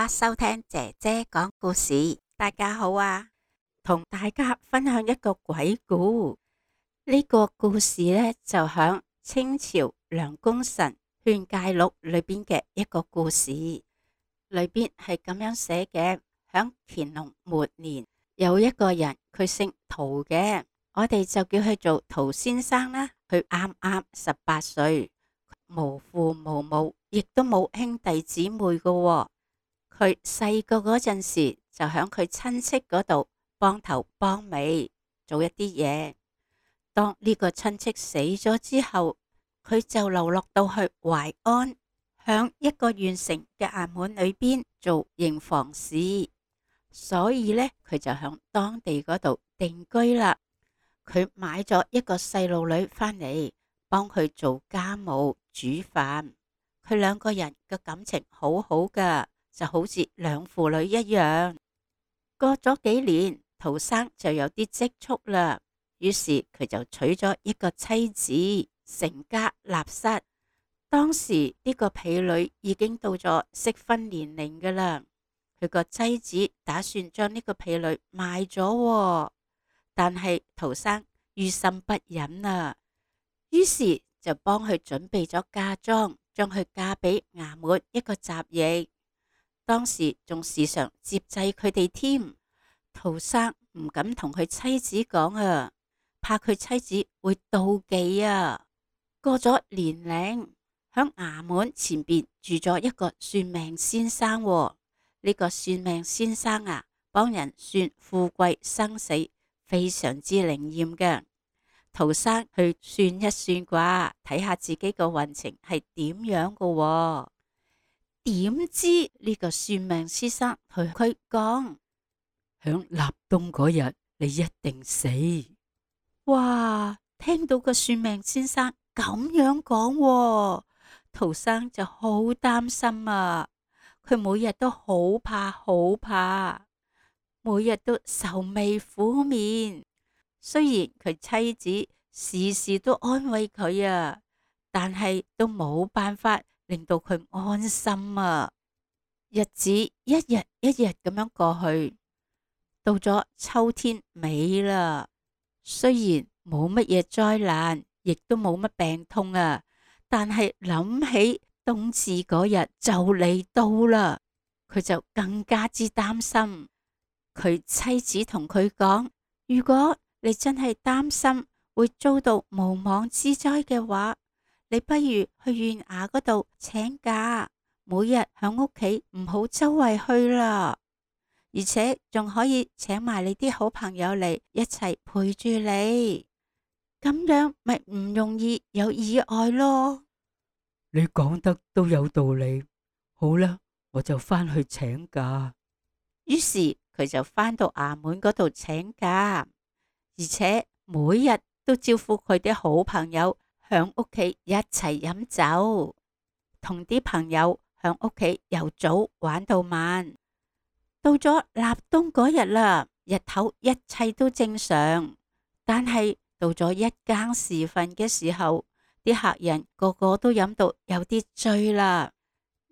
家收聽姐姐講故事。大家好啊，同大家分享一個鬼故。呢個故事呢，就響清朝梁功臣勸誡錄裏邊嘅一個故事。裏邊係咁樣寫嘅：響乾隆末年，有一個人，佢姓陶嘅，我哋就叫佢做陶先生啦。佢啱啱18歲，無父無母，亦都冇兄弟姊妹嘅喎。佢細個嗰陣時就響佢親戚嗰度幫頭幫尾做一啲嘢。當呢個親戚死咗之後，佢就流落到去淮安，響一個縣城嘅衙門裏邊做營房使，所以呢，佢就響當地嗰度定居啦。佢買咗一個細路女返嚟幫佢做家務煮飯，佢兩個人嘅感情好好噶，就好似兩父女一樣。過咗幾年，陶生就有啲積蓄啦，於是佢就娶咗一個妻子，成家立室。當時呢個婢女已經到咗適婚年齡噶啦，佢個妻子打算將呢個婢女賣咗喎，但係陶生於心不忍啊，於是就幫佢準備咗嫁妝，將佢嫁俾衙門一個雜役。當時仲時常接濟佢哋添。陶生唔敢同佢妻子講啊，怕佢妻子會妒忌啊。過咗年齡，響衙門前邊住咗一個算命先生喎。呢個算命先生啊，幫人算富貴生死，非常之靈驗嘅。陶生去算一算卦，睇下自己個運程係點樣嘅喎。點知呢個算命先生同佢講，響立冬嗰日你一定死。哇！聽到個算命先生咁樣講喎，陶生就好擔心啊。佢每日都好怕，每日都愁眉苦面。雖然佢妻子時時都安慰佢啊，但係都冇辦法令到佢安心啊。日子一日一日咁樣過去，到咗秋天尾啦。雖然冇乜嘢災難，亦都冇乜病痛啊，但係諗起冬至嗰日就嚟到啦，佢就更加之擔心。佢妻子同佢講，如果你真係擔心會遭到無妄之災嘅話，你不如去縣衙嗰度請假，每日響屋企唔好周圍去啦，而且仲可以請埋你啲好朋友嚟一齊陪住你，咁樣咪唔容易有意外咯。你講得都有道理，好啦，我就返去請假。於是佢就返到衙門嗰度請假，而且每日都招呼佢啲好朋友響屋企一齊飲酒，同啲朋友響屋企由早玩到晚。到咗立冬嗰日啦，日頭一切都正常，但係到咗一更時分嘅時候，啲客人個個都飲到有啲醉啦。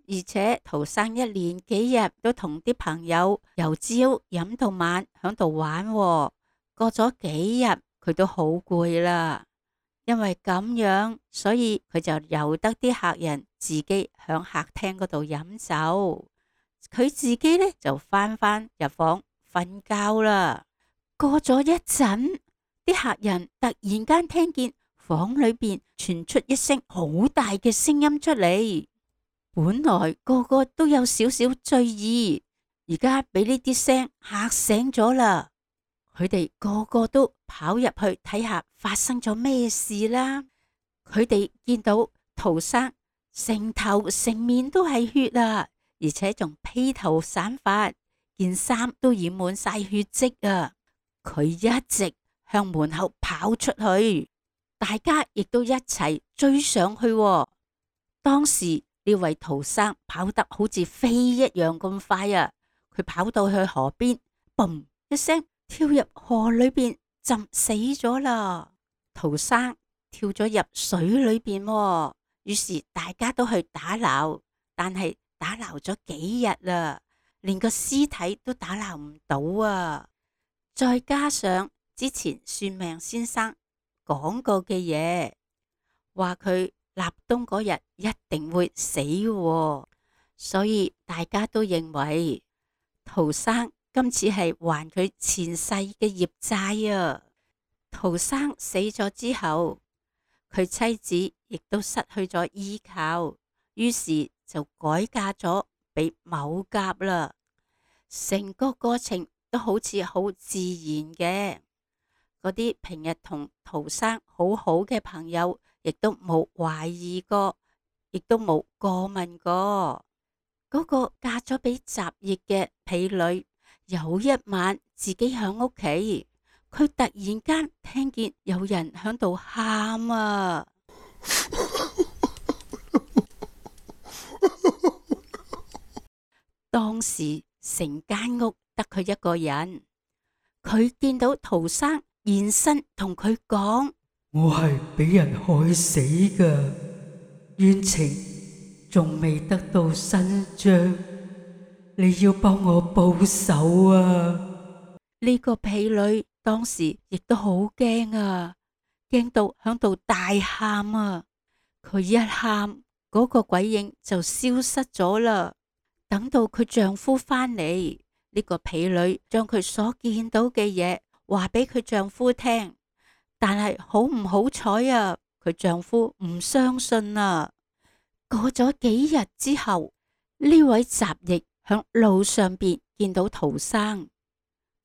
而且陶生一連幾日都同啲朋友由朝飲到晚響度玩喎，過咗幾日佢都好攰啦。因為咁樣，所以佢就由得啲客人自己響客廳嗰度飲酒，佢自己呢就返入房瞓覺啦。過咗一陣，啲客人突然間聽見房裏邊傳出一聲好大嘅聲音出嚟。本來個個都有少少醉意，而家俾呢啲聲嚇醒咗啦。佢哋個個都跑入去睇下發生咗咩事啦。佢哋見到陶生成頭成面都係血啊，而且仲披頭散髮，件衫都染滿晒血跡啊。佢一直向門口跑出去，大家亦都一齊追上去喎。當時呢位陶生跑得好似飛一樣咁快啊！佢跑到去河邊，嘣一聲跳入河裏邊浸死咗啦。陶生跳咗入水裏邊喎，於是大家都去打撈，但係打撈咗幾日啦，連個屍體都打撈唔到啊！再加上之前算命先生講過嘅嘢，話佢立冬嗰日一定會死喎，所以大家都認為陶生今次係還佢前世嘅業債啊！陶生死咗之後，佢妻子亦都失去咗依靠，於是就改嫁咗俾某甲啦。成個過程都好似好自然嘅，嗰啲平日同陶生好好嘅朋友，亦都冇懷疑過，亦都冇過問過。嗰個嫁咗俾雜役嘅婢女，有一晚自己響屋企，佢突然間聽見有人響度喊啊！當時成間屋得佢一個人，佢見到陶生現身同佢講：我係俾人害死噶，冤情仲未得到伸張，你要幫我報仇啊！呢個婢女當時亦都好驚啊，驚到響度大喊啊！佢一喊，嗰個鬼影就消失咗啦。等到佢丈夫返嚟，呢個婢女將佢所見到嘅嘢話俾佢丈夫聽，但係好唔好彩啊，佢丈夫唔相信啊。過咗幾日之後，呢位雜役響路上邊見到陶生，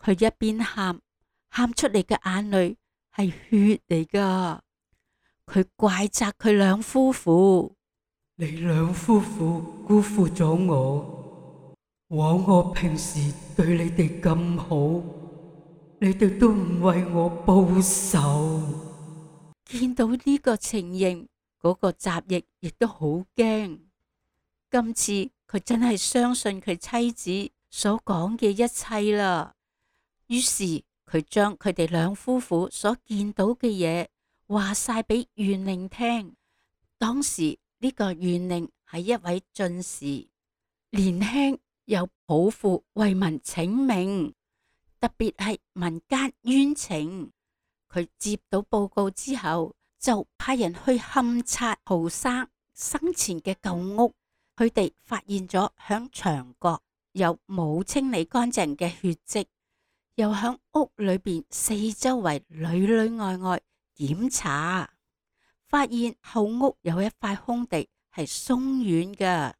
佢一邊喊，喊出嚟嘅眼淚係血嚟噶。佢怪責佢兩夫婦：你兩夫婦辜負咗我，枉我平時對你哋咁好，你哋都唔為我報仇。見到呢個情形，嗰個雜役亦都好驚。今次佢真係相信佢妻子所講嘅一切啦。於是佢將佢哋兩夫婦所見到嘅嘢話晒俾縣令聽。當時呢個縣令係一位進士，年輕有抱負為民請命，特別係民間冤情。佢接到報告之後，就派人去勘察陶生生前嘅舊屋。佢哋發現咗響牆角有冇清理乾淨嘅血跡，又響屋裏邊四周圍裏裏外外檢查，發現後屋有一塊空地係鬆軟嘅，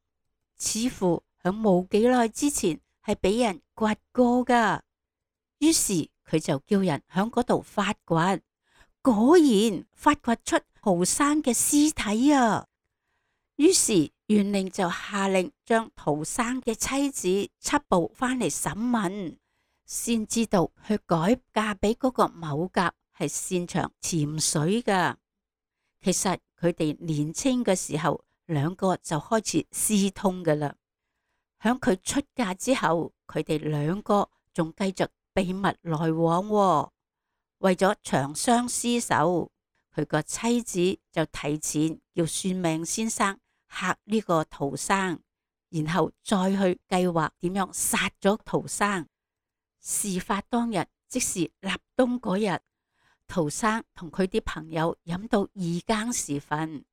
似乎響冇幾耐之前係俾人掘過噶。於是佢就叫人響嗰度發掘，果然發掘出陶生嘅屍體啊！於是縣令就下令將陶生嘅妻子緝捕翻嚟審問，先知道佢改嫁俾嗰個某甲係擅長潛水噶。其實佢哋年輕嘅時候，兩個就開始私通噶啦。響佢出嫁之後，佢哋兩個仲繼續秘密來往喎。為咗長相廝守，佢個妻子就提前叫算命先生嚇呢個陶生，然後再去計劃點樣殺咗陶生。事發當日，即是立冬嗰日，陶生同佢啲朋友飲到二更時分，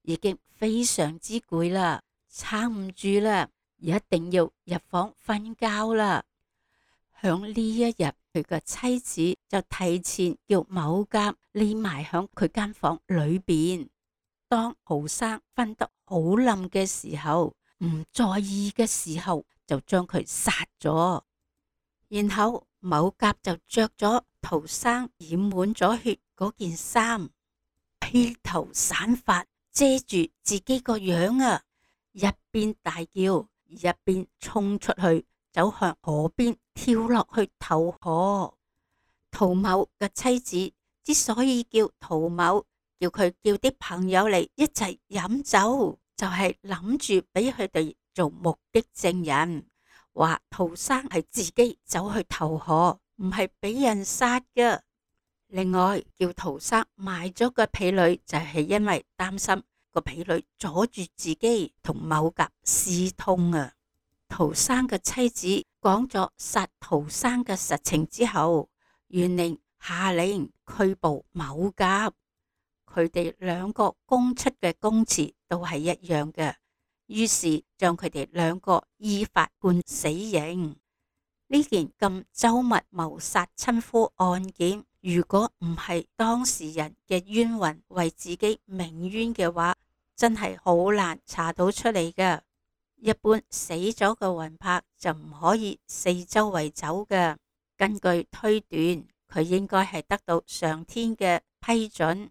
已經非常之攰啦，撐唔住啦，一定要入房瞓覺啦。響呢一日，佢個妻子就提前叫某甲匿埋響佢間房裏邊。當陶生瞓得好冧嘅時候，唔在意嘅時候，就將佢殺咗。然後某甲就着咗陶生染滿咗血嗰件衫，披頭散髮遮住自己個樣啊！一邊大叫，一邊衝出去，走向河邊跳落去投河。陶某嘅妻子之所以叫陶某，叫佢叫啲朋友嚟一齊飲酒，就係諗住俾佢哋做目擊證人，話陶生係自己走去投河，唔係俾人殺㗎。另外叫陶生賣咗個婢女，就係因為擔心個婢女阻住自己同某甲私通啊。陶生嘅妻子講咗殺陶生嘅實情之後，縣令下令拘捕某甲。佢哋兩個供出嘅供詞都係一樣嘅，於是將佢哋兩個依法判死刑。呢件咁周密謀殺親夫案件，如果唔係當事人嘅冤魂為自己鳴冤嘅話，真係好難查到出嚟嘅。一般死咗嘅魂魄就唔可以四周圍走嘅。根據推斷，佢應該係得到上天嘅批准，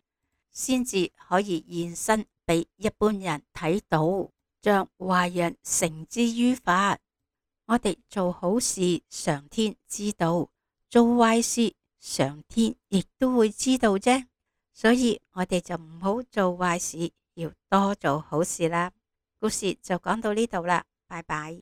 先至可以現身俾一般人睇到，將壞人繩之於法。我哋做好事，上天知道；做壞事，上天亦都會知道啫。所以我哋就唔好做壞事，要多做好事啦。故事就講到呢度啦，拜拜。